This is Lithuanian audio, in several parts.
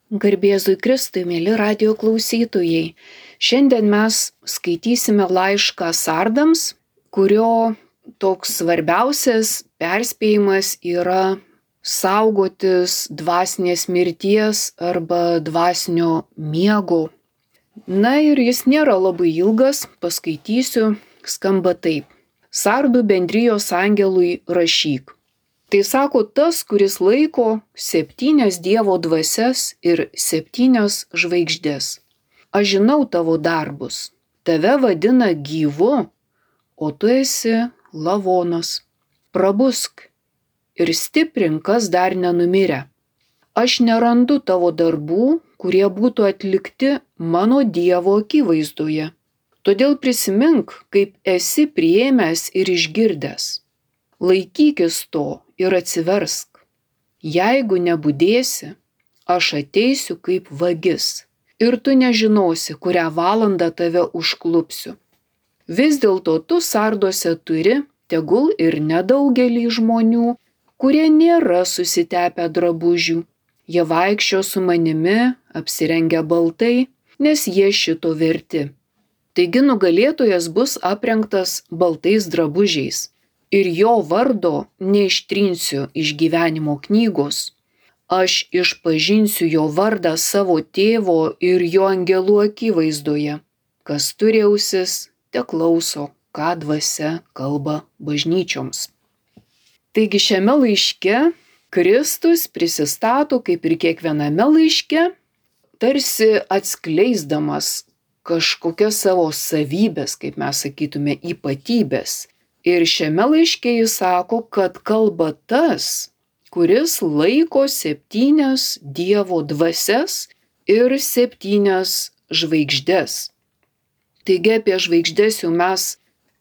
Garbėzui Kristui, mėly radijo klausytojai. Šiandien mes skaitysime laišką sardams, kurio toks svarbiausias perspėjimas yra saugotis dvasinės mirties arba dvasinio miego. Na ir jis nėra labai ilgas, paskaitysiu, skamba taip. Sardų bendrijos angelui rašyk. Tai sako tas, kuris laiko 7 Dievo dvasias ir 7 žvaigždės. Aš žinau tavo darbus. Tave vadina gyvu, o tu esi lavonas. Prabusk ir stiprink, kas dar nenumirę. Aš nerandu tavo darbų, kurie būtų atlikti mano Dievo akivaizdoje. Todėl prisimink, kaip esi priėmęs ir išgirdęs. Laikykis to ir atsiversk. Jeigu nebudėsi, aš ateisiu kaip vagis ir tu nežinosi, kurią valandą tave užklupsiu. Vis dėlto tu sarduose turi, tegul ir nedaugelį žmonių, kurie nėra susitepę drabužių. Jie vaikščio su manimi, apsirengę baltai, nes jie šito verti. Taigi nugalėtojas bus aprengtas baltais drabužiais. Ir jo vardo neištrinsiu iš gyvenimo knygos. Aš išpažinsiu jo vardą savo tėvo ir jo angelų akivaizdoje. Kas turi ausis, te klauso, ką dvasia kalba bažnyčioms. Taigi šiame laiške Kristus prisistato, kaip ir kiekviename laiške, tarsi atskleisdamas kažkokias savo savybės, kaip mes sakytume, ypatybės. Ir šiame laiške jis sako, kad kalba tas, kuris laiko 7 Dievo dvasias ir 7 žvaigždės. Taigi apie žvaigždės jau mes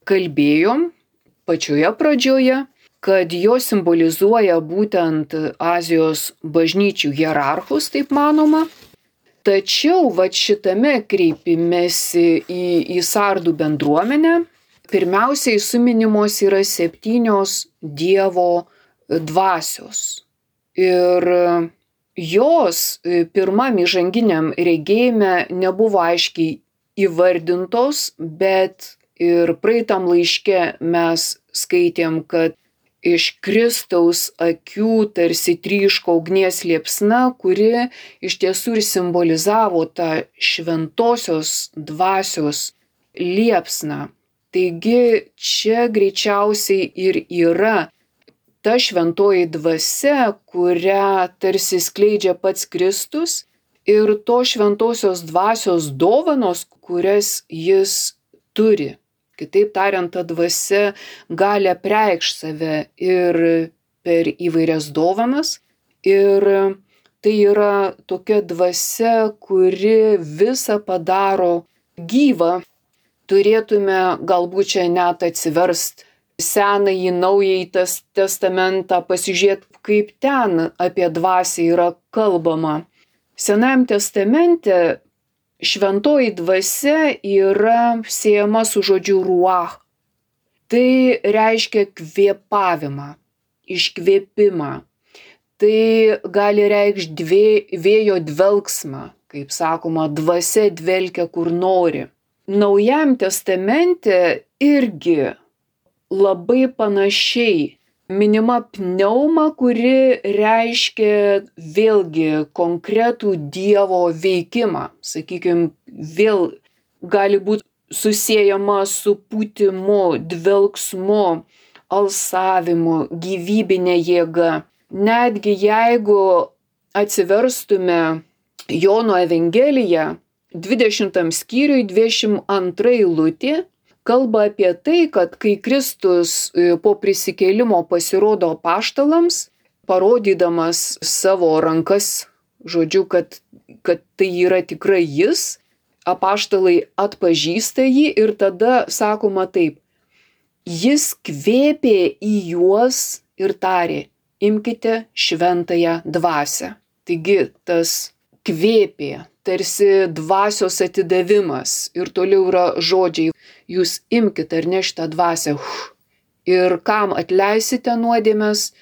kalbėjom pačioje pradžioje, kad jos simbolizuoja būtent Azijos bažnyčių hierarchus, taip manoma. Tačiau šitame kreipimėsi į sardų bendruomenę, pirmiausiai suminimos yra 7 Dievo dvasios. Ir jos pirmam įžanginiam regėjime nebuvo aiškiai įvardintos, bet ir praeitam laiške mes skaitėm, kad iš Kristaus akių tarsi tryško ugnies liepsna, kuri iš tiesų ir simbolizavo tą šventosios dvasios liepsną. Taigi čia greičiausiai ir yra ta šventoji dvasia, kurią tarsi skleidžia pats Kristus ir to šventosios dvasios dovanos, kurias jis turi. Kitaip tariant, ta dvasia gali apreikšti save ir per įvairias dovanas. Ir tai yra tokia dvasia, kuri visą padaro gyvą. Turėtume galbūt čia net atsiverst Senąjį Naująjį testamentą, pasižiūrėti, kaip ten apie dvasią yra kalbama. Senajam testamente šventoji dvasia yra siejama su žodžiu ruach. Tai reiškia kvėpavimą, iškvėpimą. Tai gali reikšti vėjo dvelksmą, kaip sakoma, dvasia dvelkia kur nori. Naujam testamente irgi labai panašiai minima pneuma, kuri reiškia vėlgi konkretų Dievo veikimą. Sakykime, vėl gali būti susiejama su pūtimu, dvelksmu, alsavimu, gyvybinė jėga. Netgi jeigu atsiverstume Jono Evangeliją, 20 skyriui 22 eilutė kalba apie tai, kad kai Kristus po prisikėlimo pasirodo apaštalams, parodydamas savo rankas, žodžiu, kad tai yra tikrai jis, apaštalai atpažįsta jį ir tada sakoma taip, jis kvėpė į juos ir tarė, imkite šventąją dvasią. Taigi tas kvėpė, tarsi dvasios atidavimas ir toliau yra žodžiai, jūs imkite ar ne šitą dvasią ir kam atleisite nuodėmes,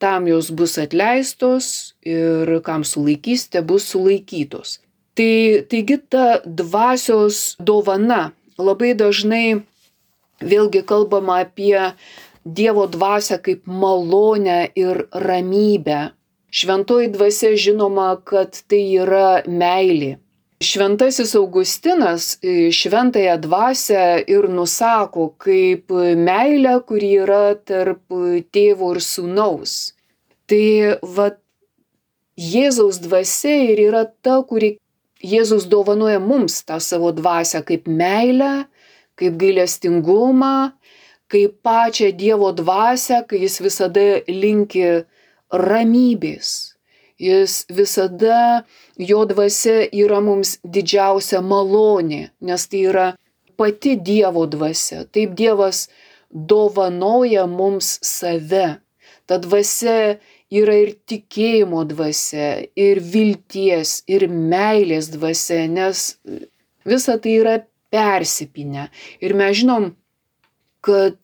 tam jos bus atleistos ir kam sulaikysite, bus sulaikytos. Taigi ta dvasios dovana labai dažnai vėlgi kalbama apie Dievo dvasią kaip malonę ir ramybę. Šventoji dvasia žinoma, kad tai yra meilė. Šventasis Augustinas šventąją dvasią ir nusako kaip meilę, kuri yra tarp tėvo ir sūnaus. Tai Jėzaus dvasia ir yra ta, kuri Jėzus dovanoja mums tą savo dvasią kaip meilę, kaip gailestingumą, kaip pačią Dievo dvasią, kai jis visada linki ramybės. Jis visada, jo dvasia yra mums didžiausia malonė, nes tai yra pati Dievo dvasia. Taip Dievas dovanoja mums save. Ta dvasia yra ir tikėjimo dvasia, ir vilties, ir meilės dvasia, nes visa tai yra persipynę. Ir mes žinom, kad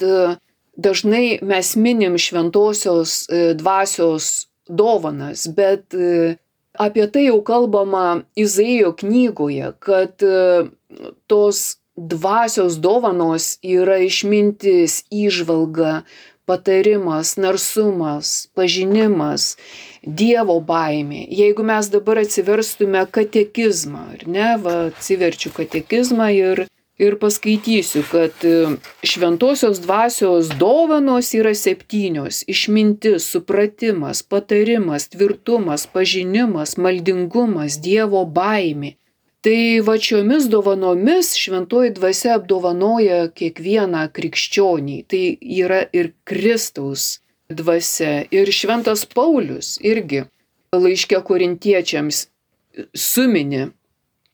dažnai mes minim šventosios dvasios dovanas, bet apie tai jau kalbama Izaijo knygoje, kad tos dvasios dovanos yra išmintis, įžvalga, patarimas, narsumas, pažinimas, Dievo baimė. Jeigu mes dabar atsiverstume katekizmą, ar ne, atsiverčiu katekizmą ir paskaitysiu, kad šventosios dvasios dovanos yra 7: išmintis, supratimas, patarimas, tvirtumas, pažinimas, maldingumas, Dievo baimė. Tai šiomis dovanomis šventoji dvasia apdovanoja kiekvieną krikščionį. Tai yra ir Kristaus dvasia. Ir šventas Paulius irgi laiške Korintiečiams sumini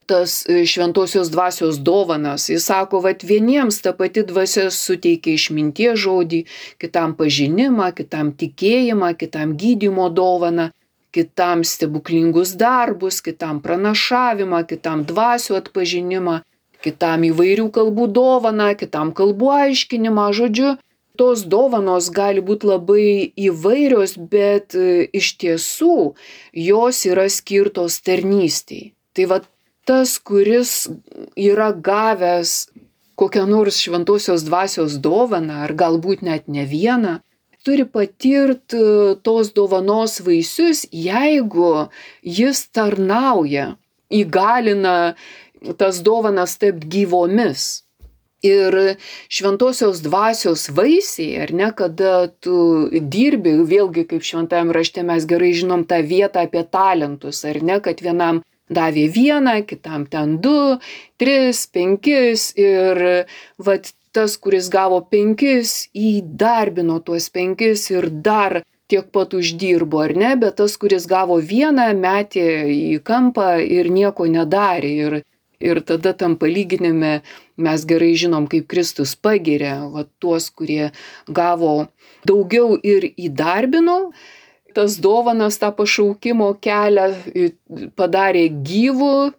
tas šventosios dvasios dovanas. Jis sako, vieniems ta pati dvasia suteikia išminties žodį, kitam pažinimą, kitam tikėjimą, kitam gydymo dovaną, kitam stebuklingus darbus, kitam pranašavimą, kitam dvasių atpažinimą, kitam įvairių kalbų dovaną, kitam kalbų aiškinimą. Žodžiu, tos dovanos gali būti labai įvairios, bet iš tiesų jos yra skirtos tarnystei. Tai tas, kuris yra gavęs kokią nors šventosios dvasios dovaną, ar galbūt net ne vieną, turi patirti tos dovanos vaisius, jeigu jis tarnauja, įgalina tas dovanas tapti gyvomis. Ir šventosios dvasios vaisiai, ar ne, kada tu dirbi, vėlgi kaip šventajame rašte mes gerai žinom tą vietą apie talentus, ar ne, kad vienam davė 1, kitam ten 2, 3, 5 ir tas, kuris gavo 5, įdarbino tuos 5 ir dar tiek pat uždirbo, ar ne, bet tas, kuris gavo 1, metė į kampą ir nieko nedarė. Ir tada tam palyginime mes gerai žinom, kaip Kristus pagiria tuos, kurie gavo daugiau ir įdarbino. Tas dovanas, tą pašaukimo kelią padarė gyvu,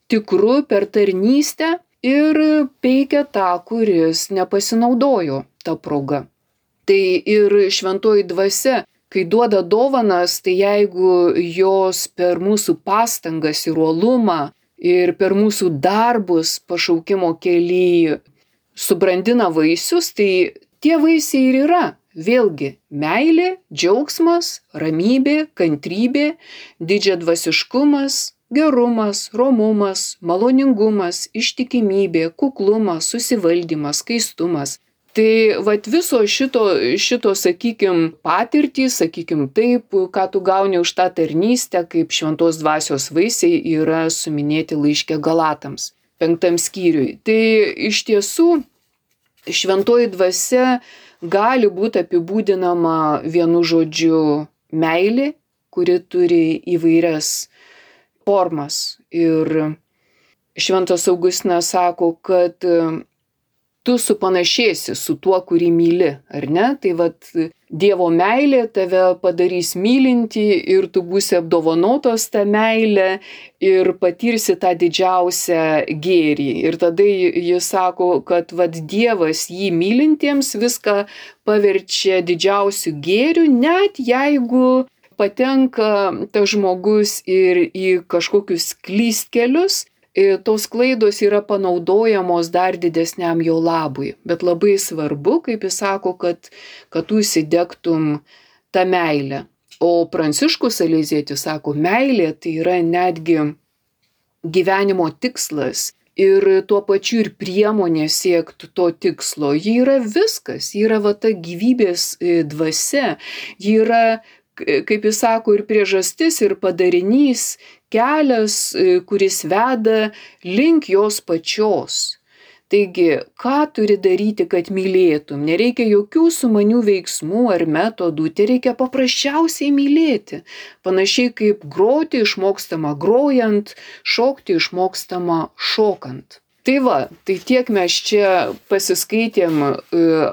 tikru per tarnystę ir peikia tą, kuris nepasinaudojo tą progą. Tai ir šventoji dvasia, kai duoda dovanas, tai jeigu jos per mūsų pastangas ir uolumą ir per mūsų darbus pašaukimo kely subrandina vaisius, tai tie vaisiai ir yra. Vėlgi, meilė, džiaugsmas, ramybė, kantrybė, didžiadvasiškumas, gerumas, romumas, maloningumas, ištikimybė, kuklumas, susivaldymas, skaistumas. Tai viso šito sakykim, patirtys, sakykim taip, ką tu gauni už tą tarnystę, kaip šventos dvasios vaisiai yra suminėti laiške Galatams, 5 skyriui. Tai iš tiesų šventoji dvasia gali būti apibūdinama vienu žodžiu meilė, kuri turi įvairias formas. Ir šventas Augustinas sako, kad tu supanašėsi su tuo, kurį myli, ar ne? Tai Dievo meilė tave padarys mylinti ir tu būsi apdovanotas tą meilę ir patirsi tą didžiausią gėrį. Ir tada jis sako, kad Dievas jį mylintiems viską paverčia didžiausiu gėriu, net jeigu patenka tas žmogus ir į kažkokius klystkelius. Tos klaidos yra panaudojamos dar didesniam jo labui. Bet labai svarbu, kaip jis sako, kad tu įsidegtum tą meilę. O Pranciškus Salezietis sako, meilė tai yra netgi gyvenimo tikslas ir tuo pačiu ir priemonė siekti to tikslo. Ji yra viskas, ji yra ta gyvybės dvasia, ji yra, kaip jis sako, ir priežastis, ir padarinys, kelias, kuris veda link jos pačios. Taigi, ką turi daryti, kad mylėtum? Nereikia jokių sumanių veiksmų ar metodų, tai reikia paprasčiausiai mylėti. Panašiai kaip groti išmokstama grojant, šokti išmokstama šokant. Tai tiek mes čia pasiskaitėm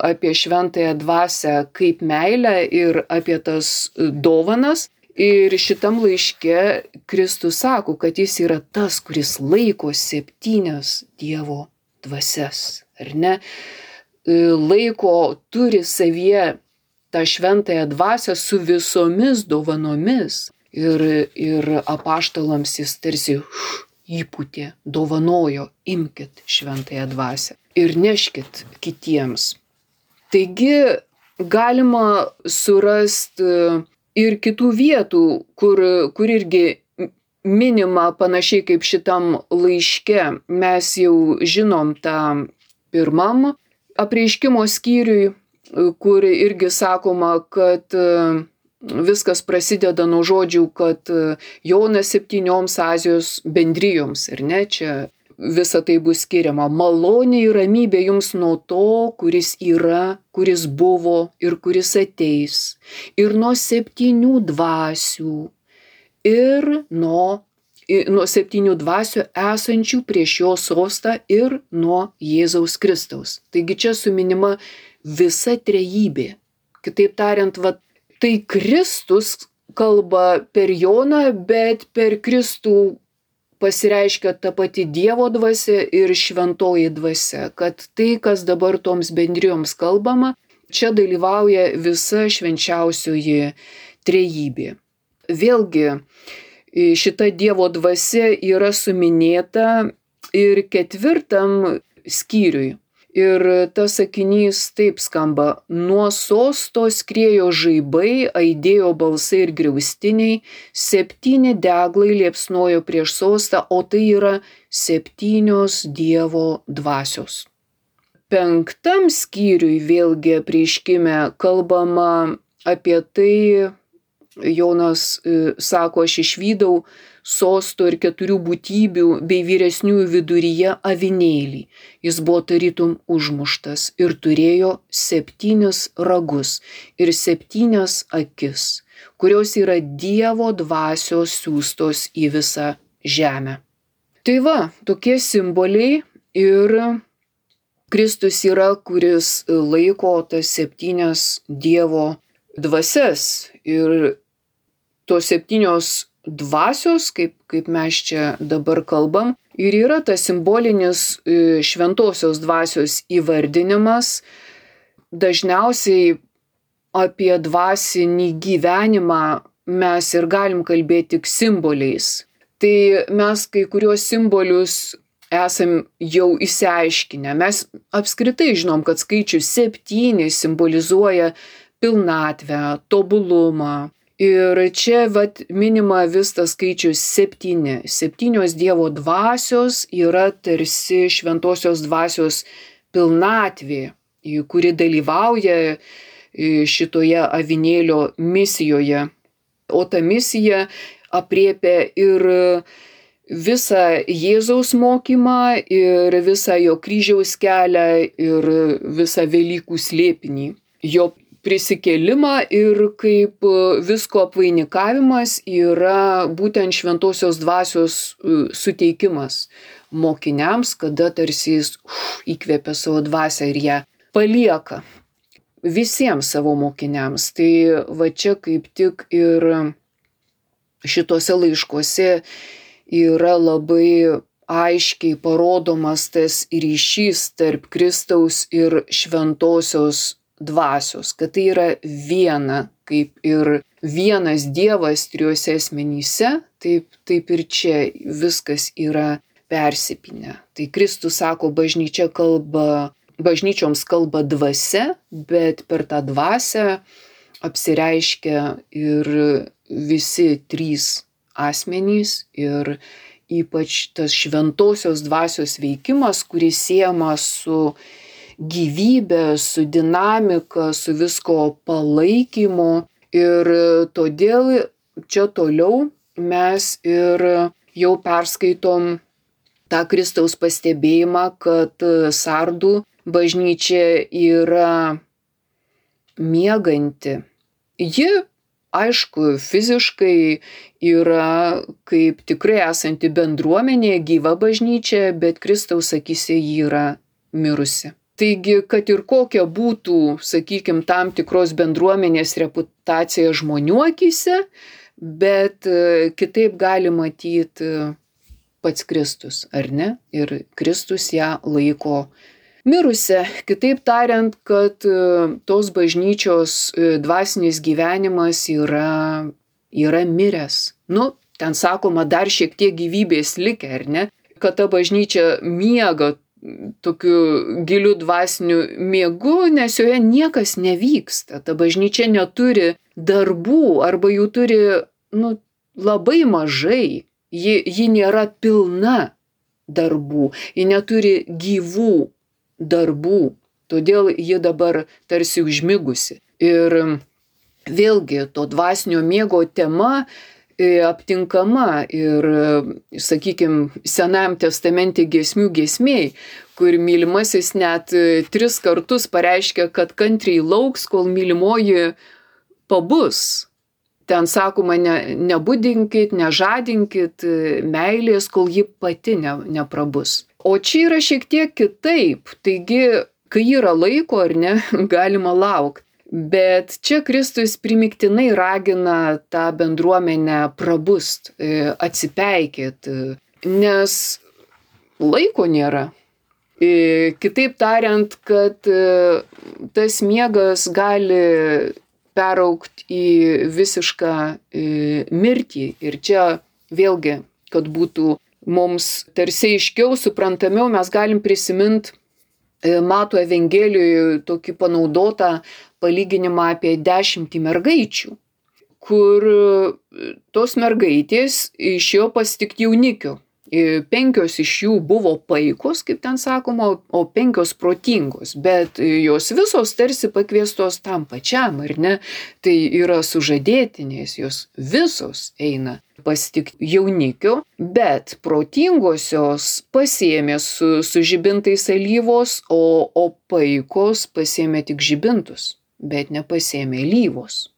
apie šventąją dvasią kaip meilę ir apie tas dovanas. Ir šitam laiške Kristus sako, kad jis yra tas, kuris laiko 7 Dievo dvasias, ar ne? Laiko, turi savyje tą šventąją dvasią su visomis dovanomis. Ir apaštalams jis tarsi įpūtė, dovanojo, imkit šventąją dvasią ir neškit kitiems. Taigi galima surasti ir kitų vietų, kur irgi minima panašiai kaip šitam laiške. Mes jau žinom tą pirmam apreiškimo skyriui, kur irgi sakoma, kad viskas prasideda nuo žodžių, kad Jonas 7 Azijos bendrijoms, ir ne, čia visa tai bus skiriama. Malonė ir ramybė jums nuo to, kuris yra, kuris buvo ir kuris ateis. Ir nuo 7 dvasių. Ir nuo 7 dvasių esančių prieš jo sostą ir nuo Jėzaus Kristaus. Taigi čia suminima visa trejybė. Kitaip tariant, tai Kristus kalba per Joną, bet per Kristų pasireiškia ta pati Dievo dvasia ir šventoji dvasia, kad tai, kas dabar toms bendrijoms kalbama, čia dalyvauja visa švenčiausioji trejybė. Vėlgi, šita Dievo dvasia yra suminėta ir 4 skyriui. Ir tas sakinys taip skamba: nuo sosto skriejo žaibai, aidėjo balsai ir griaustiniai, 7 deglai liepsnojo prieš sostą, o tai yra 7 Dievo dvasios. 5 skyriui vėlgi apreiškime kalbama apie tai, Jonas sako, aš išvydau sosto ir 4 būtybių bei vyresniųjų viduryje avinėlį. Jis buvo tarytum užmuštas ir turėjo 7 ragus ir 7 akis, kurios yra Dievo dvasios siųstos į visą žemę. Tai tokie simboliai ir Kristus yra, kuris laiko tas 7 Dievo dvasias ir tos 7 dvasios, kaip mes čia dabar kalbam, ir yra tas simbolinis šventosios dvasios įvardinimas. Dažniausiai apie dvasinį gyvenimą mes ir galim kalbėti tik simboliais. Tai mes kai kuriuos simbolius esam jau išsiaiškinę. Mes apskritai žinom, kad skaičius 7 simbolizuoja pilnatvę, tobulumą. Ir čia minima vis tas skaičius 7. 7 Dievo dvasios yra tarsi šventosios dvasios pilnatvė, kuri dalyvauja šitoje avinėlio misijoje. O ta misija apriepia ir visą Jėzaus mokymą, ir visą jo kryžiaus kelią, ir visą Velykų slėpinį. Jo prisikėlimą ir kaip visko apvainikavimas yra būtent šventosios dvasios suteikimas mokiniams, kada tarsi jis įkvėpia savo dvasią ir ją palieka. visiems savo mokiniams. Tai va čia kaip tik ir šituose laiškuose yra labai aiškiai parodomas tas ryšys tarp Kristaus ir šventosios dvasios, kad tai yra viena, kaip ir vienas Dievas trijuose asmenyse, taip ir čia viskas yra persipynę. Tai Kristus sako, bažnyčioms kalba dvasia, bet per tą dvasią apsireiškia ir visi trys asmenys ir ypač tas šventosios dvasios veikimas, kuris siejamas su gyvybė, su dinamika, su visko palaikymu. Ir todėl čia toliau mes ir jau perskaitom tą Kristaus pastebėjimą, kad Sardų bažnyčia yra mieganti. Ji, aišku, fiziškai yra kaip tikrai esanti bendruomenė, gyva bažnyčia, bet Kristaus akyse ji yra mirusi. Taigi, kad ir kokia būtų, sakykime, tam tikros bendruomenės reputacija žmonių akyse, bet kitaip gali matyti pats Kristus, ar ne? Ir Kristus ją laiko mirusią. Kitaip tariant, kad tos bažnyčios dvasinis gyvenimas yra miręs. Ten sakoma, dar šiek tiek gyvybės likę, ar ne? Kad ta bažnyčia miega tokiu giliu dvasiniu miegu, nes joje niekas nevyksta. Ta bažnyčia neturi darbų arba jų turi labai mažai. Ji nėra pilna darbų, ji neturi gyvų darbų, todėl ji dabar tarsi užmigusi. Ir vėlgi to dvasinio miego tema aptinkama ir, sakykime, Senajam testamente giesmių giesmėj, kur mylimasis net 3 kartus pareiškia, kad kantriai lauks, kol mylimoji pabus. Ten sakoma, nebudinkit, nežadinkit meilės, kol ji pati neprabus. O čia yra šiek tiek kitaip. Taigi, kai yra laiko ar ne, galima laukti. Bet čia Kristus primiktinai ragina tą bendruomenę prabust, atsipeikėt, nes laiko nėra. Kitaip tariant, kad tas miegas gali peraugti į visišką mirtį. Ir čia vėlgi, kad būtų mums tarsi aiškiau, suprantamiau, mes galim prisiminti Mato Evangelijoje tokį panaudotą palyginimą apie 10 mergaičių, kur tos mergaitės išėjo pasitikti jaunikių. 5 iš jų buvo paikos, kaip ten sakoma, o 5 protingos, bet jos visos tarsi pakviestos tam pačiam, ar ne? Tai yra sužadėtinės, jos visos eina pasitikti jaunikio, bet protingosios pasiėmė su žibintais alyvos, o paikos pasiėmė tik žibintus, bet nepasiėmė alyvos.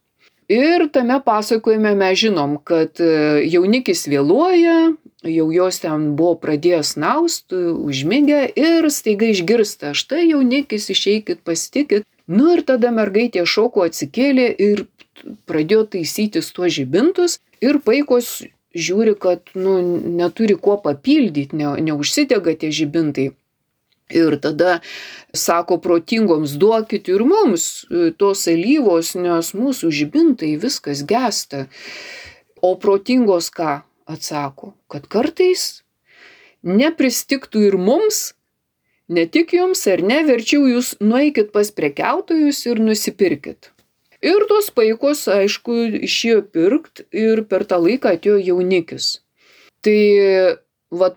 Ir tame pasakojime mes žinom, kad jaunikis vėluoja, jau jos ten buvo pradėjęs naust, užmigę ir staiga išgirsta, štai jaunikis, išeikit, pasitikit. Ir tada mergaitė šoko, atsikėlė ir pradėjo taisytis tuos žibintus ir paikos žiūri, kad neturi kuo papildyti, neužsidega tie žibintai. Ir tada sako protingoms, duokit ir mums tos alyvos, nes mūsų žibintai viskas gęsta. O protingos ką atsako? Kad kartais nepristigtų ir mums, ne tik jums ar ne, verčiau jūs nueikit pas prekiautojus ir nusipirkit. Ir tos paikos, aišku, išėjo pirkt ir per tą laiką atėjo jaunikis. Tai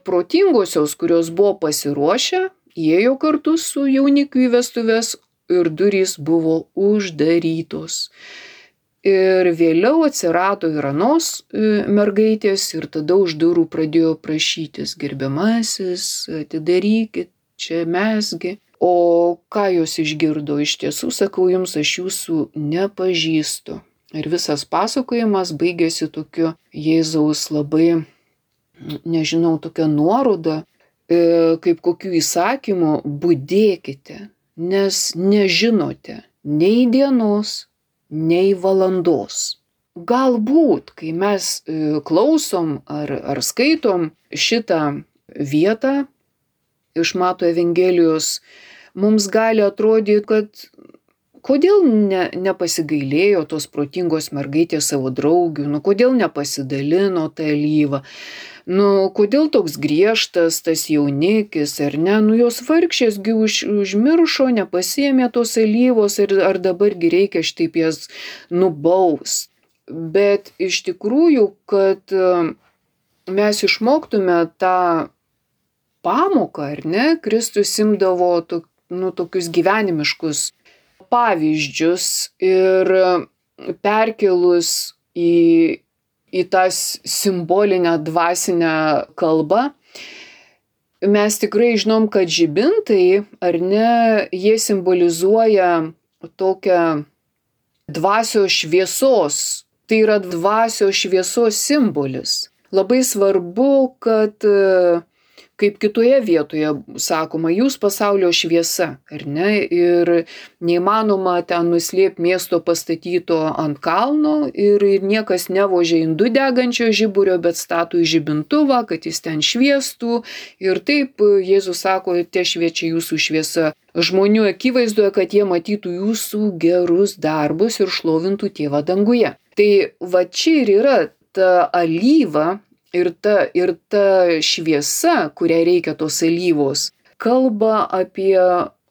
protingosios, kurios buvo pasiruošę, įėjo kartu su jaunikiu į vestuves ir durys buvo uždarytos. Ir vėliau atsirado ir anos mergaitės ir tada už durų pradėjo prašytis, gerbiamasis, atidarykit, čia mesgi. O ką jos išgirdo? Iš tiesų, sakau jums, aš jūsų nepažįstu. Ir visas pasakojimas baigėsi tokiu Jėzaus labai, nežinau, tokia nuoroda, kaip kokių įsakymų, budėkite, nes nežinote, nei dienos, nei valandos. Galbūt, kai mes klausom ar skaitom šitą vietą iš Mato Evangelijos, mums gali atrodyti, kad kodėl nepasigailėjo tos protingos mergaitės savo draugių, kodėl nepasidalino tą alyvą, kodėl toks griežtas tas jaunikis, ar ne, jos vargšėsgi užmiršo, nepasiėmė tos alyvos ar dabargi reikia šitaip jas nubaust. Bet iš tikrųjų, kad mes išmoktume tą pamoką, ar ne, Kristus imdavo tokius gyvenimiškus pavyzdžius ir perkelus į tą simbolinę dvasinę kalbą, mes tikrai žinom, kad žibintai, ar ne, jie simbolizuoja tokią dvasios šviesos. Tai yra dvasios šviesos simbolis. Labai svarbu, kad kaip kitoje vietoje sakoma, jūs pasaulio šviesa, ar ne? Ir neįmanoma ten nuslėpti miesto pastatyto ant kalno ir niekas nevožia indų degančio žiburio, bet stato į žibintuvą, kad jis ten šviestų. Ir taip Jėzus sako, te šviečia jūsų šviesa žmonių akivaizdoje, kad jie matytų jūsų gerus darbus ir šlovintų Tėvą danguje. Tai va čia ir yra ta alyva. Ir ta šviesa, kuriai reikia tos alyvos, kalba apie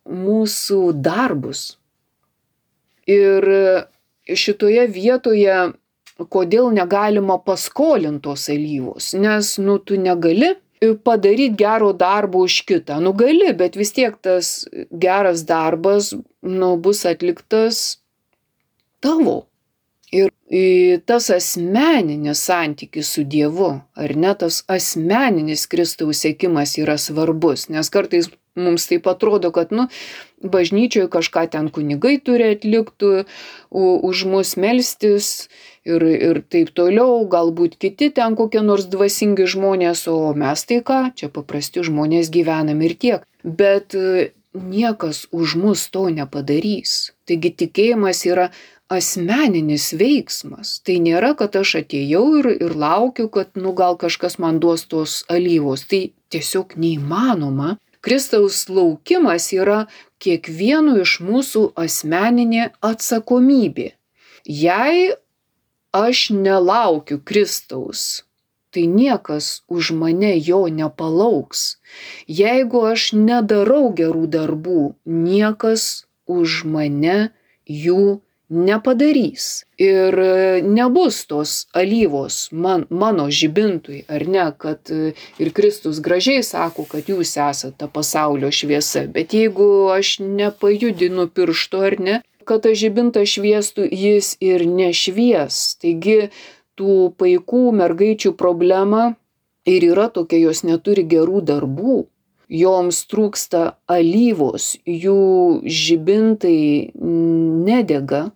mūsų darbus. Ir šitoje vietoje, kodėl negalima paskolinti tos alyvos, nes tu negali padaryti gero darbo už kitą. Gali, bet vis tiek tas geras darbas bus atliktas tavo. Ir tas asmeninis santykis su Dievu, ar ne, tas asmeninis Kristaus sekimas yra svarbus, nes kartais mums taip atrodo, kad bažnyčioje kažką ten kunigai turi atlikti, už mus melstis ir taip toliau, galbūt kiti ten kokie nors dvasingi žmonės, o mes tai ką, čia paprasti žmonės gyvenam ir tiek. Bet niekas už mus to nepadarys. Taigi tikėjimas yra asmeninis veiksmas. Tai nėra, kad aš atėjau ir laukiu, kad gal kažkas man duos tos alyvos. Tai tiesiog neįmanoma. Kristaus laukimas yra kiekvieno iš mūsų asmeninė atsakomybė. Jei aš nelaukiu Kristaus, tai niekas už mane jo nepalauks. Jeigu aš nedarau gerų darbų, niekas už mane jų nepadarys. Ir nebus tos alyvos mano žibintui, ar ne, kad ir Kristus gražiai sako, kad jūs esate ta pasaulio šviesa. Bet jeigu aš nepajudinu piršto, ar ne, kad ta žibinta šviestų, jis ir nešvies. Taigi tų paikų mergaičių problema ir yra tokia, jos neturi gerų darbų. Joms trūksta alyvos, jų žibintai nedega.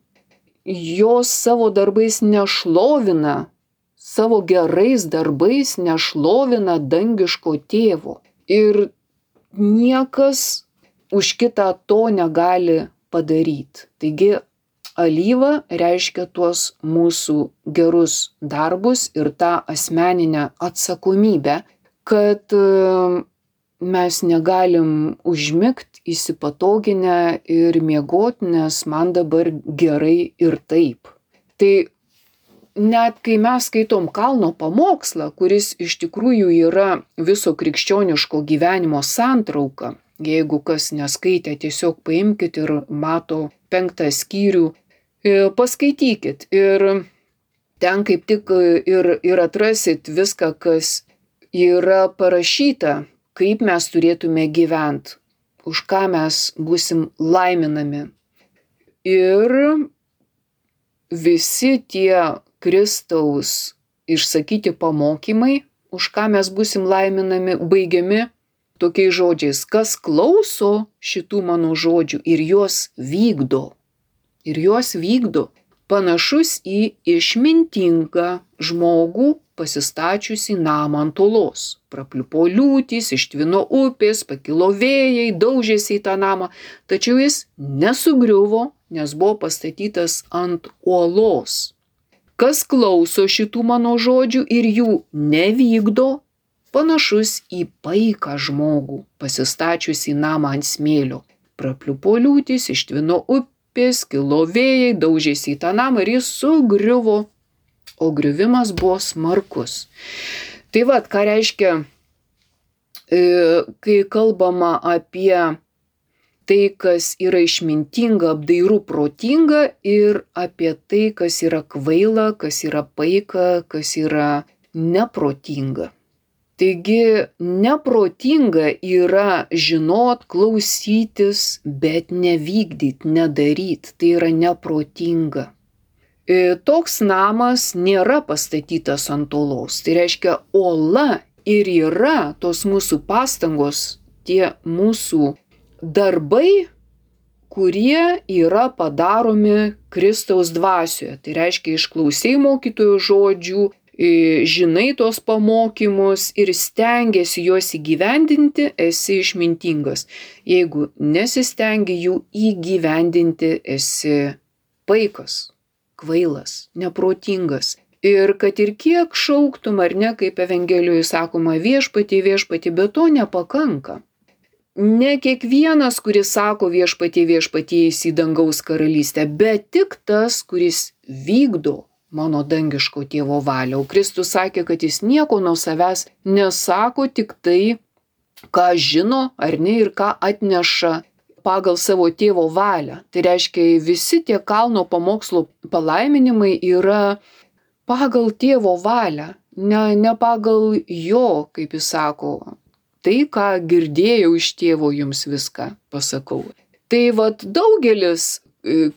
Jos savo darbais nešlovina, savo gerais darbais nešlovina dangiško tėvo. Ir niekas už kitą to negali padaryti. Taigi alyva reiškia tuos mūsų gerus darbus ir tą asmeninę atsakomybę, kad mes negalim užmigt įsipatoginę ir miegot, nes man dabar gerai ir taip. Tai net kai mes skaitom Kalno pamokslą, kuris iš tikrųjų yra viso krikščioniško gyvenimo santrauka, jeigu kas neskaitė, tiesiog paimkit ir Mato 5 skyrių, paskaitykit. Ir ten kaip tik ir atrasit viską, kas yra parašyta, kaip mes turėtume gyventi, už ką mes būsim laiminami. Ir visi tie Kristaus išsakyti pamokymai, už ką mes būsim laiminami, baigiami tokiais žodžiais: kas klauso šitų mano žodžių ir juos vykdo. Ir juos vykdo. Panašus į išmintingą žmogų pasistačiusi namą ant uolos. Prapliupo liūtys, ištvino upės, pakilo vėjai, daužėsi į tą namą, tačiau jis nesugriuvo, nes buvo pastatytas ant uolos. Kas klauso šitų mano žodžių ir jų nevykdo, panašus į paiką žmogų, pasistačiusį namą ant smėlio. Prapliupo liūtys, ištvino upės, kilo vėjai, daužėsi į tą namą ir jis sugriuvo, o griuvimas buvo smarkus. Tai vat, ką reiškia, kai kalbama apie tai, kas yra išmintinga, apdairų, protinga ir apie tai, kas yra kvaila, kas yra paika, kas yra neprotinga. Taigi neprotinga yra žinot, klausytis, bet nevykdyt, nedaryt. Tai yra neprotinga. Toks namas nėra pastatytas ant uolos. Tai reiškia, uola ir yra tos mūsų pastangos, tie mūsų darbai, kurie yra padaromi Kristaus dvasioje. Tai reiškia, išklausai mokytojų žodžių, žinai tos pamokymus ir stengiasi juos įgyvendinti, esi išmintingas. Jeigu nesistengi jų įgyvendinti, esi paikas, kvailas, neprotingas. Ir kad ir kiek šauktum ar ne, kaip Evangelijoje sakoma, viešpatie, viešpatie, bet to nepakanka. Ne kiekvienas, kuris sako viešpatie, viešpatie, eis į dangaus karalystę, bet tik tas, kuris vykdo mano dangiško tėvo valią. O Kristus sakė, kad jis nieko nuo savęs nesako, tik tai, ką žino ar ne ir ką atneša pagal savo tėvo valią. Tai reiškia, visi tie kalno pamokslo palaiminimai yra pagal tėvo valią, ne pagal jo, kaip jis sako. Tai, ką girdėjau iš tėvo, jums viską pasakau. Tai vat daugelis,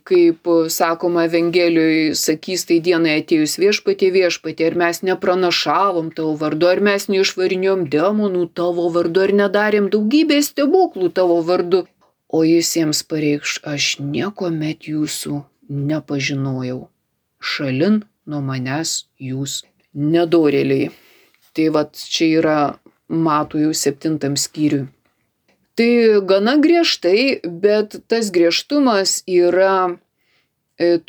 kaip sakoma Evangelijoje, sakys tai dienai atėjus viešpatie, viešpatie, ar mes nepranašavom tavo vardu, ar mes neišvarinėjom demonų tavo vardu, ar nedarėm daugybės stebuklų tavo vardu. O jis jiems pareikš, aš niekuomet jūsų nepažinojau. Šalin nuo manęs jūs nedorėliai. Tai vat čia yra Matųjų 7 skyriui. Tai gana griežtai, bet tas griežtumas yra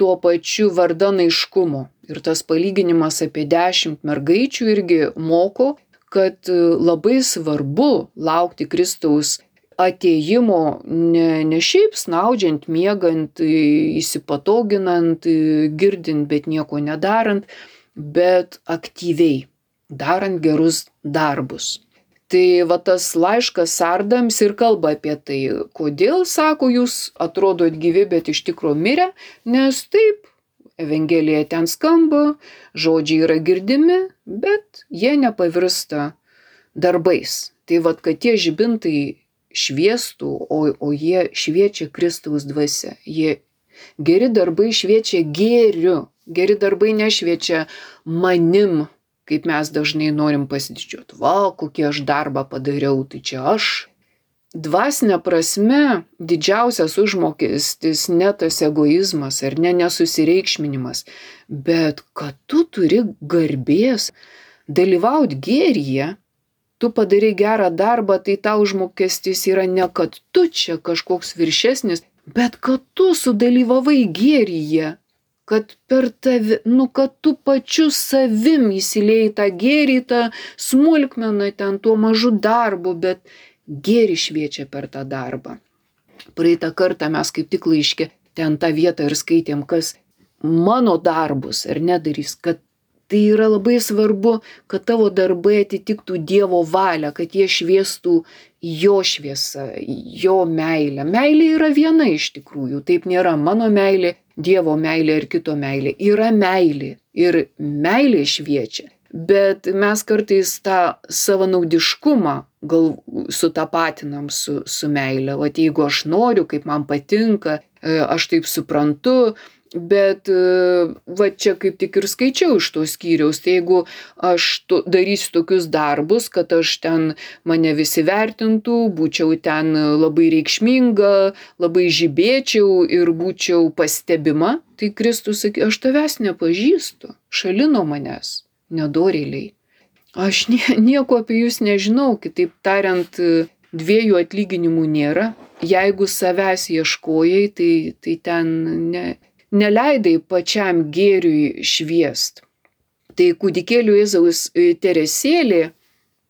tuo pačiu vardan aiškumo. Ir tas palyginimas apie 10 mergaičių irgi moko, kad labai svarbu laukti Kristaus atėjimo ne šiaip snaudžiant, miegant, įsipatoginant, girdint, bet nieko nedarant, bet aktyviai, darant gerus darbus. Tai va tas laiškas sardams ir kalba apie tai, kodėl, sako, jūs atrodot gyvi, bet iš tikro mirę, nes taip, Evangelija ten skamba, žodžiai yra girdimi, bet jie nepavirsta darbais. Tai va, kad tie žibintai šviestų, o jie šviečia Kristaus dvasia. Geri darbai šviečia gėriu, geri darbai nešviečia manim, kaip mes dažnai norim pasididžiuoti. Va, kokį aš darbą padariau, tai čia aš. Dvasinė prasme didžiausias užmokestis ne tas egoizmas ar nesusireikšminimas, bet kad tu turi garbės dalyvauti gėryje, tu padarai gerą darbą, tai tau užmokestis yra ne kad tu čia kažkoks viršesnis, bet kad tu sudalyvavai gėryje. Kad per tave, kad tu pačiu savim įsilėjai tą gėrį, tą smulkmeną ten tuo mažu darbu, bet gėrį šviečia per tą darbą. Praeitą kartą mes kaip tik laiške ten tą vietą ir skaitėm, kas mano darbus ar nedarys, kad tai yra labai svarbu, kad tavo darbai atitiktų Dievo valią, kad jie šviestų jo šviesą, jo meilę. Meilė yra viena iš tikrųjų, taip nėra mano meilė, Dievo meilė ir kito meilė. Yra meilė ir meilė šviečia. Bet mes kartais tą savanaudiškumą sutapatinam su meilė. Vat jeigu aš noriu, kaip man patinka, aš taip suprantu, bet va čia kaip tik ir skaičiau iš to skyriaus, tai jeigu aš darysiu tokius darbus, kad aš ten mane visi vertintų, būčiau ten labai reikšminga, labai žibėčiau ir būčiau pastebima, tai Kristus sakė, aš tavęs nepažįstu, šalino manęs, nedorėliai. Aš nieko apie jūs nežinau, kitaip tariant, dviejų atlyginimų nėra. jeigu savęs ieškojai, tai ten neleidai pačiam gėriui šviest. Tai kūdikėlių Jėzaus Teresėlė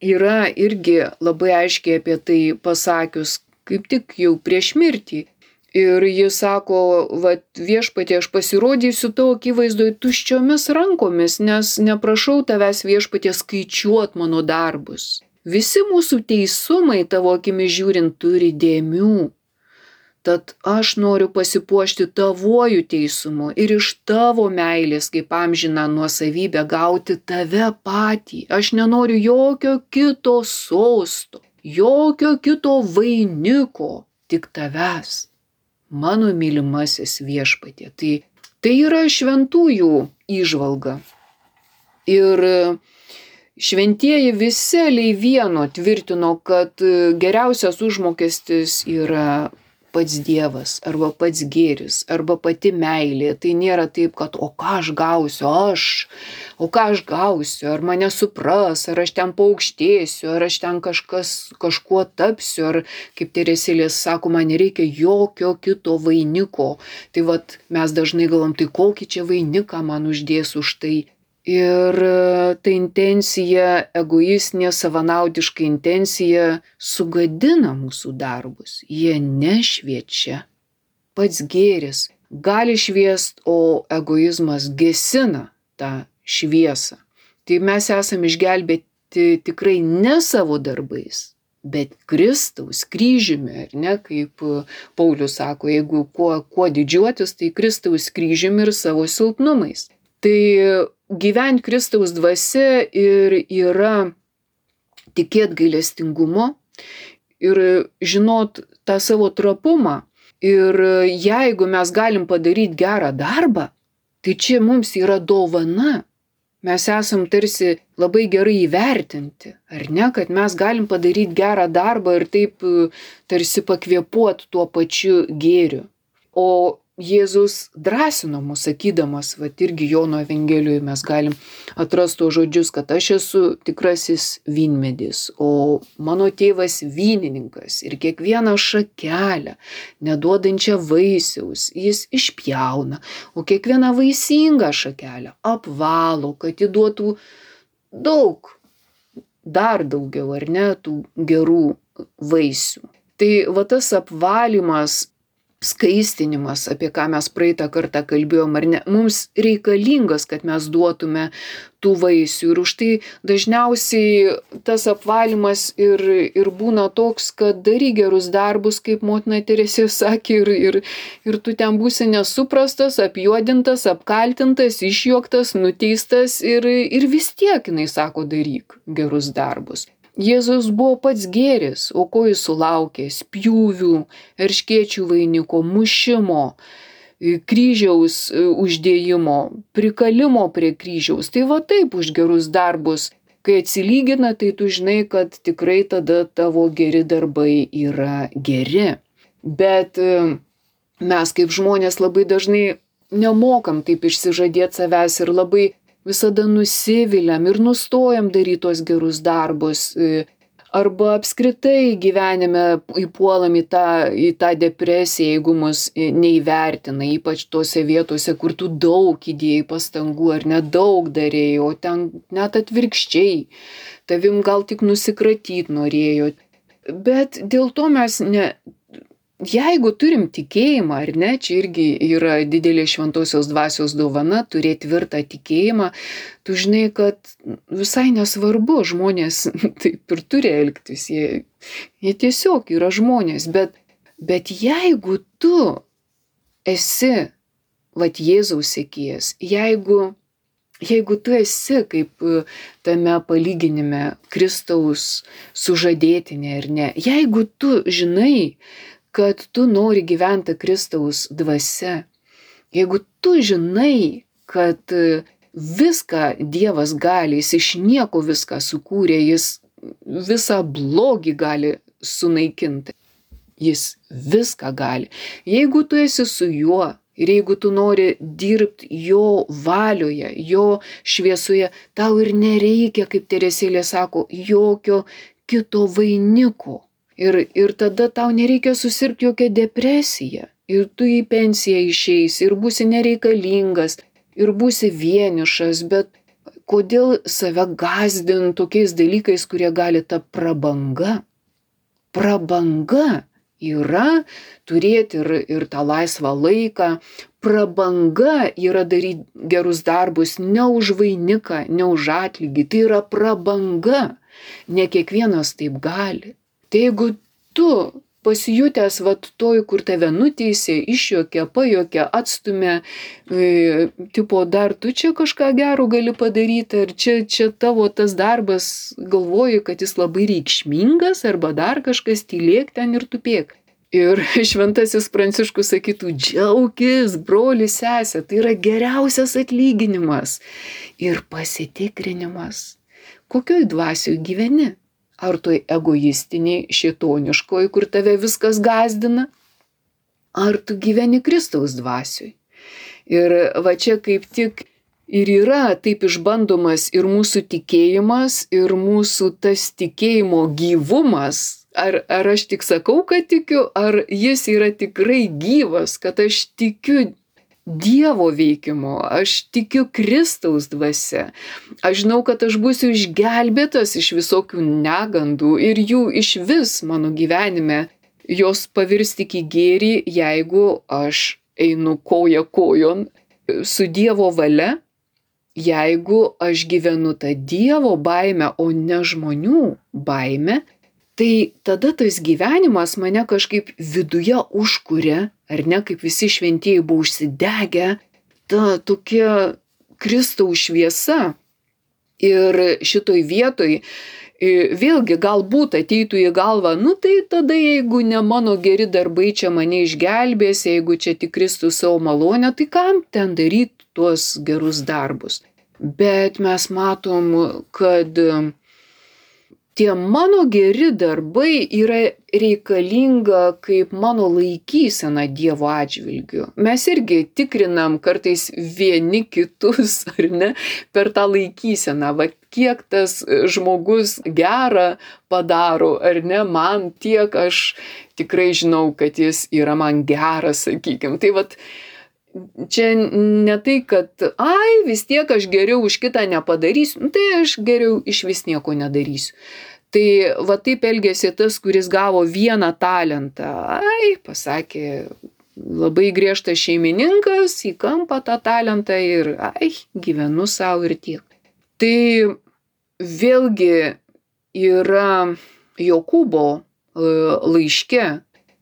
yra irgi labai aiškiai apie tai pasakius, kaip tik jau prieš mirtį. Ir jis sako, viešpatie, aš pasirodysiu tavo akivaizdoj tuščiomis rankomis, nes neprašau tavęs, viešpatie, skaičiuot mano darbus. Visi mūsų teisumai tavo akimis žiūrint turi dėmių. Tad aš noriu pasipuošti tavuoju teisumu ir iš tavo meilės kaip amžiną nuosavybę gauti tave patį. Aš nenoriu jokio kito sosto, jokio kito vainiko, tik tavęs, mano mylimasis viešpatie. Tai yra šventųjų įžvalga. Ir šventieji visi vieno tvirtino, kad geriausias užmokestis yra pats Dievas, arba pats gėris, arba pati meilė. Tai nėra taip, kad o ką aš gausiu, ar mane supras, ar aš ten paaukštėsiu, ar aš ten kažkuo tapsiu, ar kaip Teresėlė sako, man nereikia jokio kito vainiko. Tai mes dažnai galvom, tai kokį čia vainiką man uždės už tai. Ir ta intencija, egoistinė, savanaudiška intencija sugadina mūsų darbus. Jie nešviečia. Pats gėris gali šviest, o egoizmas gesina tą šviesą. Tai mes esame išgelbėti tikrai ne savo darbais, bet Kristaus kryžiumi, ar ne, kaip Paulius sako, jeigu kuo didžiuotis, tai Kristaus kryžiumi ir savo silpnumais. Tai gyventi Kristaus dvasia ir yra tikėt gailestingumo ir žinot tą savo trapumą. Ir jeigu mes galim padaryti gerą darbą, tai čia mums yra dovana. Mes esam tarsi labai gerai įvertinti, ar ne, kad mes galim padaryti gerą darbą ir taip tarsi pakvėpuot tuo pačiu gėriu. O Jėzus drąsino mus, sakydamas, irgi Jono Evangelijoje mes galim atrasti tos žodžius, kad aš esu tikrasis vynmedis, o mano tėvas vynininkas ir kiekvieną šakelę, neduodančią vaisiaus, jis išpjauna, o kiekvieną vaisingą šakelę apvalo, kad įduotų daug, dar daugiau, ar ne, tų gerų vaisių. Tai tas apvalymas, skaistinimas, apie ką mes praeitą kartą kalbėjom, ar ne, mums reikalingas, kad mes duotume tų vaisių. Ir už tai dažniausiai tas apvalymas ir būna toks, kad daryk gerus darbus, kaip motina Teresė sakė, ir tu ten būsi nesuprastas, apjuodintas, apkaltintas, išjuoktas, nuteistas ir vis tiek, jinai sako, daryk gerus darbus. Jėzus buvo pats gėris, o ko jis sulaukė? Spjūvių, erškėčių vainiko, mušimo, kryžiaus uždėjimo, prikalimo prie kryžiaus. Tai taip už gerus darbus. Kai atsilygina, tai tu žinai, kad tikrai tada tavo geri darbai yra geri. Bet mes kaip žmonės labai dažnai nemokam taip išsižadėti savęs ir labai visada nusiviliam ir nustojam daryti tos gerus darbus. Arba apskritai gyvenime įpuolam į tą depresiją, jeigu mus neįvertina, ypač tose vietose, kur tu daug įdėjai pastangų ar nedaug darėjai, o ten net atvirkščiai, tavim gal tik nusikratyti norėjo. Bet dėl to mes jeigu turim tikėjimą, ar ne, čia irgi yra didelė šventosios dvasios dovana, turėti tvirtą tikėjimą, tu žinai, kad visai nesvarbu, žmonės taip ir turi elgtis, jie tiesiog yra žmonės, bet jeigu tu esi, Jėzaus sekėjas, jeigu tu esi kaip tame palyginime Kristaus sužadėtinė, ar ne, jeigu tu žinai, kad tu nori gyventi Kristaus dvasia, jeigu tu žinai, kad viską Dievas gali, jis iš nieko viską sukūrė, jis visą blogį gali sunaikinti, jis viską gali. Jeigu tu esi su juo ir jeigu tu nori dirbti jo valioje, jo šviesoje, tau ir nereikia, kaip Teresėlė sako, jokio kito vainiko. Ir tada tau nereikia susirgti jokią depresiją. Ir tu į pensiją išeisi, ir būsi nereikalingas, ir būsi vienišas, bet kodėl save gąsdint tokiais dalykais, kurie gali tapti prabanga? Prabanga yra turėti ir tą laisvą laiką. Prabanga yra daryti gerus darbus ne už vainiką, ne už atlygį. Tai yra prabanga. Ne kiekvienas taip gali. Tai jeigu tu pasijutęs toj, kur tave nuteisė, išjuokė, pajuokė, atstumė, tipo dar tu čia kažką gero gali padaryti, ar čia tavo tas darbas, galvoji, kad jis labai reikšmingas, arba dar kažkas, tylėk ten ir tupėk. Ir šventasis Pranciškus sakytų, džiaukis, broli, sesė, tai yra geriausias atlyginimas ir pasitikrinimas. Kokioj dvasioj gyveni? Ar toj egoistiniai, šėtoniškoj, kur tave viskas gąsdina? Ar tu gyveni Kristaus dvasioj? Ir va čia kaip tik ir yra taip išbandomas ir mūsų tikėjimas, ir mūsų tas tikėjimo gyvumas. Ar aš tik sakau, kad tikiu, ar jis yra tikrai gyvas, kad aš tikiu Dievo veikimu, aš tikiu Kristaus dvasia. Aš žinau, kad aš būsiu išgelbėtas iš visokių negandų ir jų iš vis mano gyvenime. Jos pavirs tik į gėrį, jeigu aš einu koja kojon su Dievo valia, jeigu aš gyvenu tą Dievo baimę, o ne žmonių baimę. Tai tada tas gyvenimas mane kažkaip viduje užkuria, ar ne, kaip visi šventieji buvo užsidegę, ta tokia Kristaus šviesa. Ir šitoj vietoj vėlgi galbūt ateitų į galvą, tai tada jeigu ne mano geri darbai čia mane išgelbės, jeigu čia tik Kristus savo malonę, tai kam ten daryti tuos gerus darbus? Bet mes matom, kad tie mano geri darbai yra reikalinga kaip mano laikysena Dievo atžvilgiu. Mes irgi tikrinam kartais vieni kitus, ar ne, per tą laikyseną. Kiek tas žmogus gerą padaro, ar ne, man tiek aš tikrai žinau, kad jis yra man geras, sakykim. Tai čia ne tai, kad vis tiek aš geriau už kitą nepadarysiu, tai aš geriau iš vis nieko nedarysiu. Tai taip elgėsi tas, kuris gavo vieną talentą. Pasakė, labai griežtas šeimininkas, į kampą tą talentą ir gyvenu savo ir tiek. Tai vėlgi yra Jokūbo laiške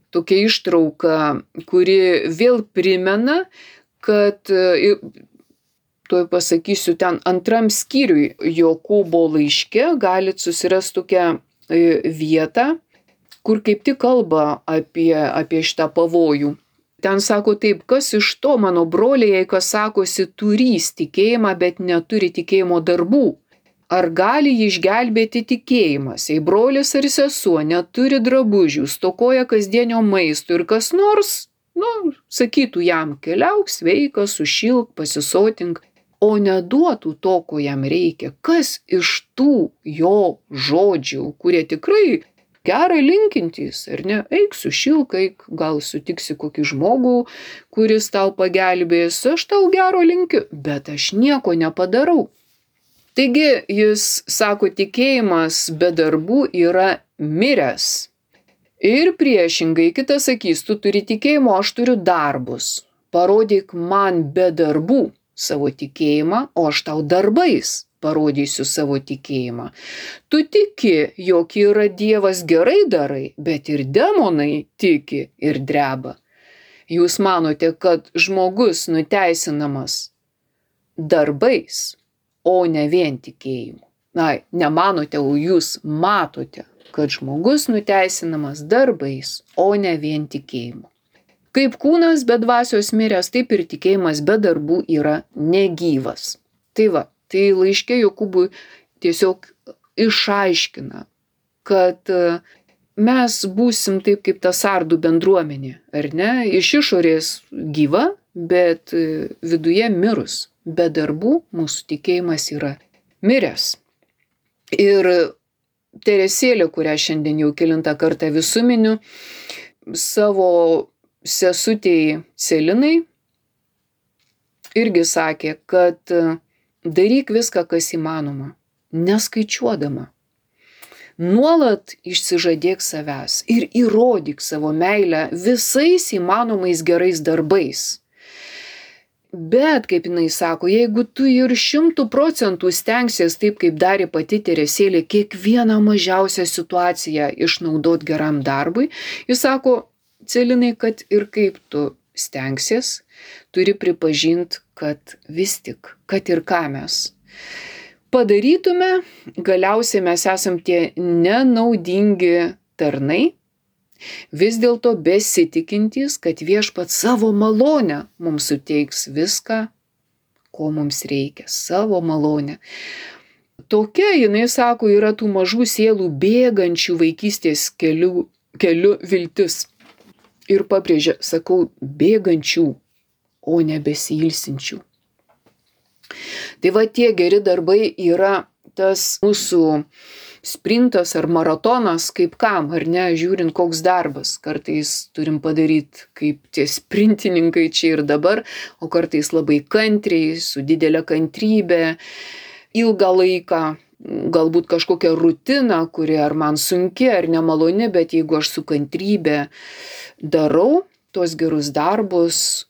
tokia ištrauka, kuri vėl primena, kad tuoj pasakysiu, ten antram skyriui Jokūbo laiške galit susirasti tokią vietą, kur kaip tik kalba apie šitą pavojų. Ten sako taip, kas iš to mano broliai, jei kas sakosi turys tikėjimą, bet neturi tikėjimo darbų? Ar gali jį išgelbėti tikėjimas, jei brolis ar sesuo neturi drabužių, stokoja kasdienio maisto ir kas nors, sakytų jam, keliauk sveikas, sušilk, pasisotink, o neduotų to, ko jam reikia, kas iš tų jo žodžių, kurie tikrai gerai linkintys, ar ne, eik sušilk, eik, gal sutiksi kokį žmogų, kuris tau pagelbės, aš tau gero linkiu, bet aš nieko nepadarau. Taigi jis sako, tikėjimas be darbų yra miręs. Ir priešingai kitas sakys, tu turi tikėjimo, aš turiu darbus. Parodyk man be darbų savo tikėjimą, o aš tau darbais parodysiu savo tikėjimą. Tu tiki, jog yra Dievas, gerai darai, bet ir demonai tiki ir dreba. Jūs manote, kad žmogus nuteisinamas darbais, o ne vien tikėjimu. Nemanote, o jūs matote, kad žmogus nuteisinamas darbais, o ne vien tikėjimu. Kaip kūnas be dvasios miręs, taip ir tikėjimas be darbų yra negyvas. Tai laiške Jokūbui tiesiog išaiškina, kad mes būsim taip kaip ta sardų bendruomenė, ar ne? Iš išorės gyva, bet viduje mirus. Be darbų mūsų tikėjimas yra miręs. Ir Teresėlė, kurią šiandien jau kelintą kartą visų miniu, savo sesutei Celinai irgi sakė, kad daryk viską, kas įmanoma, neskaičiuodama. Nuolat išsižadėk savęs ir įrodyk savo meilę visais įmanomais gerais darbais. Bet, kaip jinai sako, jeigu tu ir 100% stengsies taip, kaip darė pati Teresėlė, kiekvieną mažiausią situaciją išnaudot geram darbui, jis sako, Celinai, kad ir kaip tu stengsies, turi pripažinti, kad vis tik, kad ir ką mes padarytume, galiausiai mes esam tie nenaudingi tarnai, vis dėlto besitikintys, kad Viešpats savo malonę mums suteiks viską, ko mums reikia, savo malonę. Tokia, jinai sako, yra tų mažų sielų bėgančių vaikystės keliu viltis. Ir pabrėžia, sakau, bėgančių, o ne besiilsinčių. Tai va, tie geri darbai yra tas mūsų sprintas ar maratonas, kaip kam, ar ne, žiūrint koks darbas. Kartais turim padaryti kaip tie sprintininkai čia ir dabar, o kartais labai kantriai, su didelė kantrybė, ilgą laiką, galbūt kažkokią rutiną, kuri ar man sunki, ar nemaloni, bet jeigu aš su kantrybė darau tuos gerus darbus,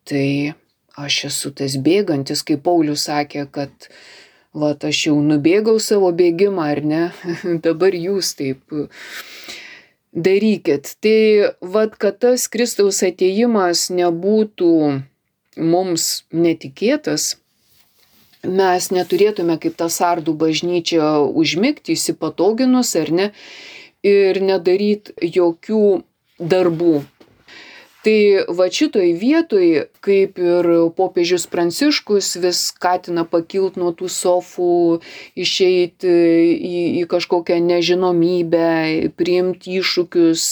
tai aš esu tas bėgantis, kaip Paulius sakė, kad vat aš jau nubėgau savo bėgimą, ar ne, dabar jūs taip darykit. Tai vat, kad tas Kristaus atėjimas nebūtų mums netikėtas, mes neturėtume kaip ta Sardų bažnyčia užmigti, įsipatoginus, ar ne, ir nedaryt jokių darbų. Tai va šitoj vietoj, kaip ir popiežius Pranciškus vis skatina pakilt nuo tų sofų, išeiti į kažkokią nežinomybę, priimti iššūkius,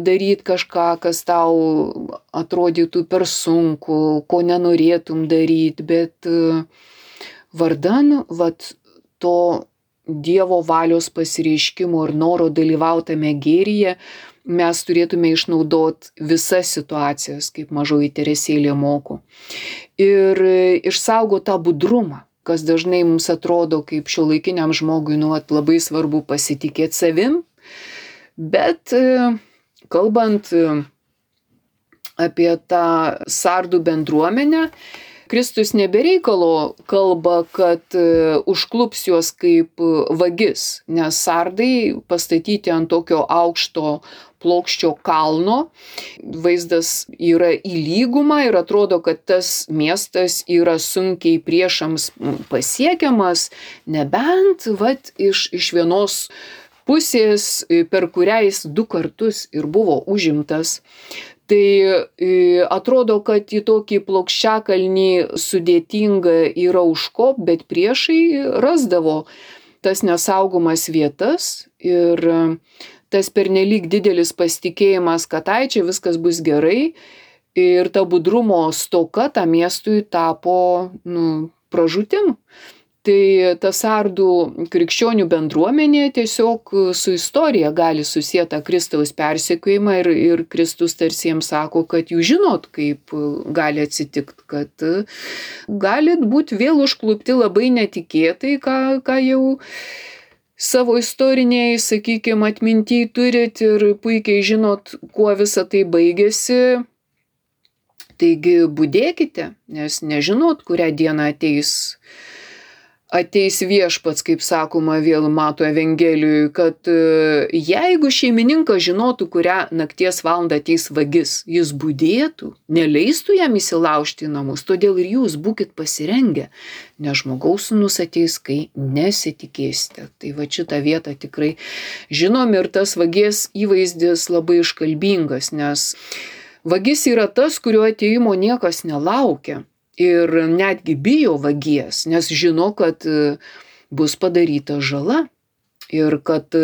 daryti kažką, kas tau atrodytų per sunku, ko nenorėtum daryti, bet vardan vat to Dievo valios pasireiškimo ir noro dalyvautame gėryje, mes turėtume išnaudoti visas situacijas, kaip mažoji Teresėlė moko. Ir išsaugo tą budrumą, kas dažnai mums atrodo kaip šiuolaikiniam žmogui labai svarbu pasitikėti savim, bet kalbant apie tą Sardų bendruomenę, Kristus nebereikalo kalba, kad užklups juos kaip vagis, nes Sardai pastatyti ant tokio aukšto plokščio kalno, vaizdas yra į lygumą ir atrodo, kad tas miestas yra sunkiai priešams pasiekiamas, nebent vat iš vienos pusės, per kurią jis 2 kartus ir buvo užimtas. Tai atrodo, kad į tokį plokščiakalnį sudėtinga yra užkop, bet priešai rasdavo tas nesaugomas vietas ir tas pernelyg didelis pasitikėjimas, kad ai čia viskas bus gerai ir ta budrumo stoka tam miestui tapo pražūtim. Tai ta Sardų krikščionių bendruomenė tiesiog su istorija gali susieti Kristaus persekiojimą ir Kristus tarsi jiems sako, kad jūs žinot, kaip gali atsitikti, kad galit būti vėl užklupti labai netikėtai, ką jau savo istoriniai, sakykime, atminty turit ir puikiai žinot, kuo visa tai baigėsi. Taigi budėkite, nes nežinot, kurią dieną ateis Viešpats, kaip sakoma vėl Mato Evangelijoje, kad jeigu šeimininkas žinotų, kurią nakties valandą ateis vagis, jis budėtų, neleistų jam įsilaužti į namus, todėl ir jūs būkit pasirengę, nes Žmogaus Sūnus ateis, kai nesitikėsite. Tai va šitą vietą tikrai žinom ir tas vagies įvaizdis labai iškalbingas, nes vagis yra tas, kurio atėjimo niekas nelaukia. Ir netgi bijo vagies, nes žino, kad bus padaryta žala. Ir kad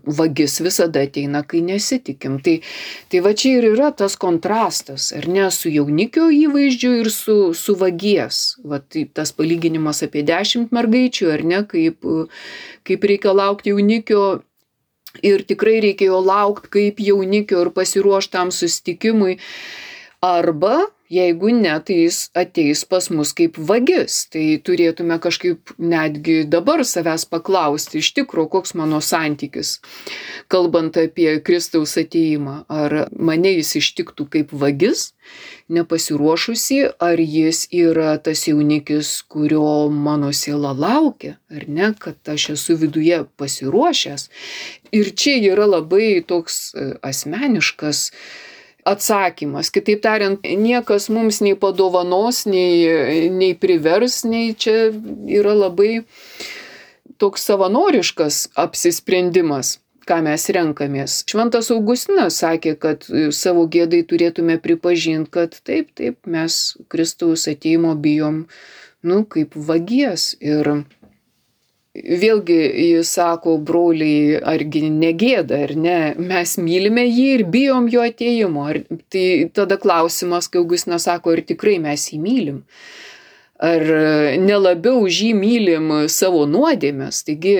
vagis visada ateina, kai nesitikim. Tai va čia ir yra tas kontrastas, ar ne, su jaunikio įvaizdžiu ir su vagies. Va tai tas palyginimas apie 10 mergaičių, ar ne, kaip reikia laukti jaunikio. Ir tikrai reikėjo laukti kaip jaunikio ir pasiruošti tam susitikimui. Arba, jeigu ne, tai jis ateis pas mus kaip vagis. Tai turėtume kažkaip netgi dabar savęs paklausti, iš tikro, koks mano santykis, kalbant apie Kristaus atėjimą. Ar mane jis ištiktų kaip vagis, nepasiruošusi, ar jis yra tas jaunikis, kurio mano siela laukia, ar ne, kad aš esu viduje pasiruošęs. Ir čia yra labai toks asmeniškas atsakymas. Kitaip tariant, niekas mums nei padovanos, nei privers, nei čia yra labai toks savanoriškas apsisprendimas, ką mes renkamės. Šventas Augustinas sakė, kad savo gėdai turėtume pripažinti, kad taip, mes Kristaus atėjimo bijom, kaip vagies. Ir vėlgi jis sako, broliai, argi negėda, ar ne, mes mylime jį ir bijom jo atėjimo. Tai tada klausimas, kai Augustinas sako, ar tikrai mes jį mylim? Ar nelabiau už jį mylim savo nuodėmes? Taigi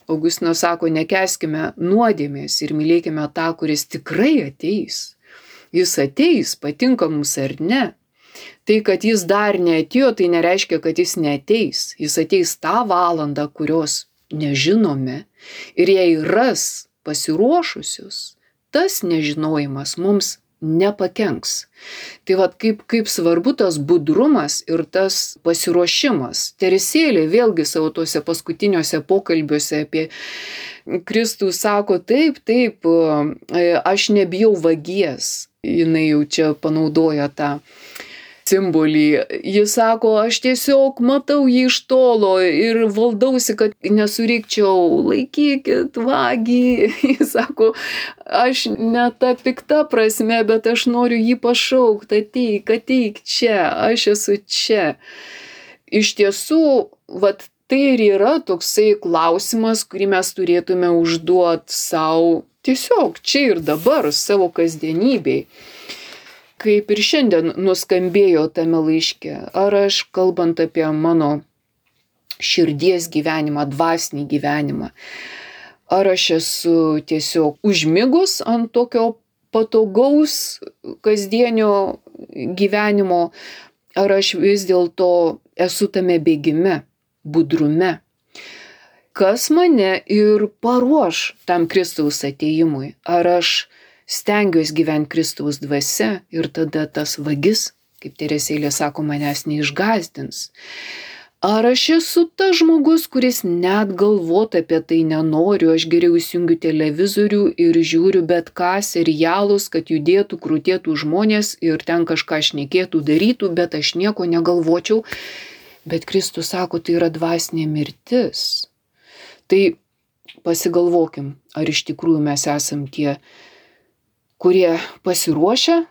Augustinas sako, nekęskime nuodėmės ir mylėkime tą, kuris tikrai ateis. Jis ateis, patinka mums ar ne. Tai, kad jis dar neatėjo, tai nereiškia, kad jis neateis. Jis ateis tą valandą, kurios nežinome. Ir jei ras pasiruošusius, tas nežinojimas mums nepakenks. Tai vat kaip svarbu tas budrumas ir tas pasiruošimas. Teresėlė vėlgi savo tuose paskutiniuose pokalbiuose apie Kristų sako, taip, aš nebijau vagies. Jinai jau čia panaudoja tą simbolį. Jis sako, aš tiesiog matau jį iš tolo ir valdausi, kad nesurikčiau, laikykit vagį. Jis sako, aš ne ta pikta prasme, bet aš noriu jį pašaukti, ateik čia, aš esu čia. Iš tiesų, tai ir yra toksai klausimas, kurį mes turėtume užduoti savo tiesiog čia ir dabar, savo kasdienybei. Kaip ir šiandien nuskambėjo tame laiške, ar aš, kalbant apie mano širdies gyvenimą, dvasinį gyvenimą, ar aš esu tiesiog užmigus ant tokio patogaus kasdienio gyvenimo, ar aš vis dėlto esu tame bėgime, budrume, kas mane ir paruoš tam Kristaus atėjimui, ar aš stengiuosi gyventi Kristaus dvasia ir tada tas vagis, kaip Teresėlė sako, manęs neišgąsdins. Ar aš esu tas žmogus, kuris net galvoti apie tai nenoriu, aš geriau įsijungiu televizorių ir žiūriu bet ką, serialus, kad judėtų, krūtėtų žmonės ir ten kažką šnekėtų, darytų, bet aš nieko negalvočiau. Bet Kristus sako, tai yra dvasinė mirtis. Tai pasigalvokim, ar iš tikrųjų mes esam tie, kurie pasiruošia,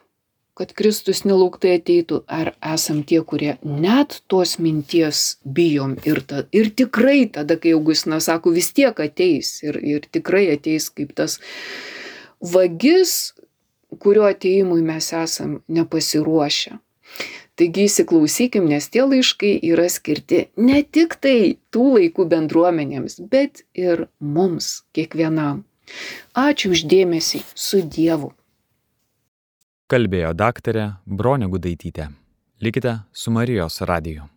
kad Kristus nelauktai ateitų, ar esam tie, kurie net tos minties bijom ir tikrai tada, kai Augustinas sako, vis tiek ateis ir tikrai ateis kaip tas vagis, kurio atėjimui mes esam nepasiruošę. Taigi įsiklausykim, nes tie laiškai yra skirti ne tik tai tų laikų bendruomenėms, bet ir mums, kiekvienam. Ačiū už dėmesį, su Dievu. Kalbėjo daktarė Bronė Gudaitytė. Likite su Marijos radiju.